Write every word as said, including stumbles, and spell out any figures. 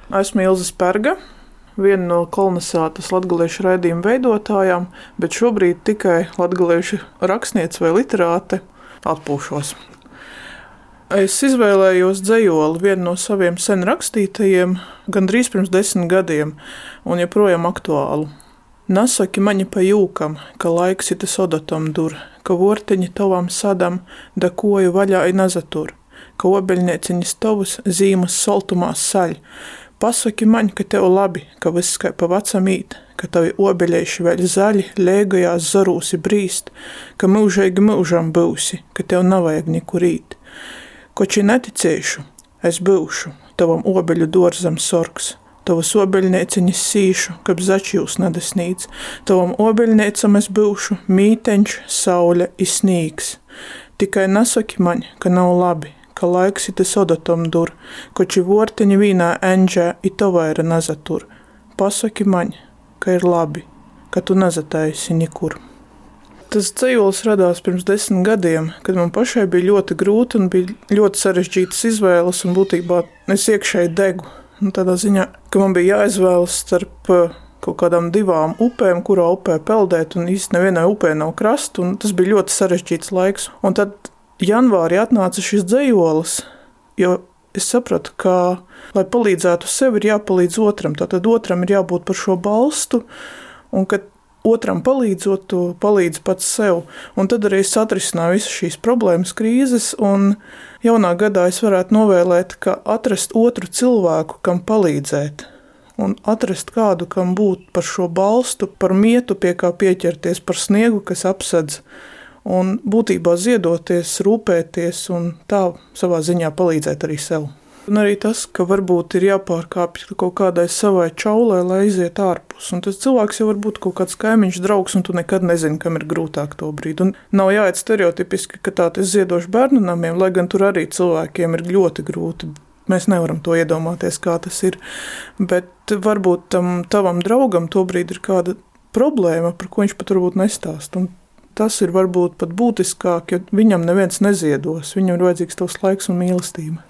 Esmu Ilze Sperga, viena no kolonizācijas latgaliešu raidījuma veidotājām, bet šobrīd tikai latgaliešu rakstniece vai literāte atpūšos. Es izvēlējos dzejoli, vienu no saviem sen rakstītajiem, gandrīz pirms desmit gadiem, un joprojām aktuālu. Nasaki maņa pa jūkam, ka laiks ite sodatom dur, ka vorteņi tovam sadam, da koju vaļā i nazatur, ka obeļnieciņas tovus zīmas soltumās saļ. Pasaki maņ, ka tev labi, ka viss kai pa vacam īt, ka tavi obeļieši vēl zaļi, lēgajās zarūsi brīst, ka mūžeigi mūžam būsi, ka tev navajag nikur īt. Koči neticēšu, es būšu, tavam obeļu dorzam sorgs, tavas obeļnieciņas sīšu, kab začījus nadasnīts, tavam obeļniecam es būšu, mīteņš, saule i snīgs. Tikai nasaki maņ, ka nav labi, ka laiks ite sodatom dur, koči vorteņi vīnā enģē i to vaira nazatur. Pasaki maņ, ka ir labi, ka tu nazataisi nikur. Tas dzejols radās pirms desmit gadiem, kad man pašai bija ļoti grūti un bija ļoti sarežģītas izvēles un būtībā es iekšēji degu. Un tādā ziņā, ka man bija jāizvēlas starp kaut kādām divām upēm, kurā upē peldēt, un īsti nevienai upē nav krasta, un tas bija ļoti sarežģīts laiks. Un tad janvārī atnāca šis dzejolis, jo es sapratu, ka, lai palīdzētu sev, ir jāpalīdz otram. Tātad otram ir jābūt par šo balstu, un kad otram palīdzot, tu palīdzi pats sev. Un tad arī es atrisināju visas šīs problēmas, krīzes, un jaunā gadā es varētu novēlēt, ka atrast otru cilvēku, kam palīdzēt, un atrast kādu, kam būt par šo balstu, par mietu, pie kā pieķerties, par sniegu, kas apsedz, un būtībā ziedoties, rūpēties un tā savā ziņā palīdzēt arī sev. Un arī tas, ka varbūt ir jāpārkāpj kaut kādai savai čaulē, lai aiziet ārpus. Un tas cilvēks jau var būt kaut kāds kaimiņš, draugs, un tu nekad nezini, kam ir grūtāk to brīdi. Un nav jāiet stereotipiski, ka tā es ziedošu bērnu namiem, lai gan tur arī cilvēkiem ir ļoti grūti. Mēs nevaram to iedomāties, kā tas ir. Bet varbūt tam tavam draugam to brīdi ir kāda problēma, par ko viņš pat varbūt nestāst. Un tas ir varbūt pat būtiskāk, jo viņam neviens neziedos. Viņam ir vajadzīgs tavs laiks un mīlestība.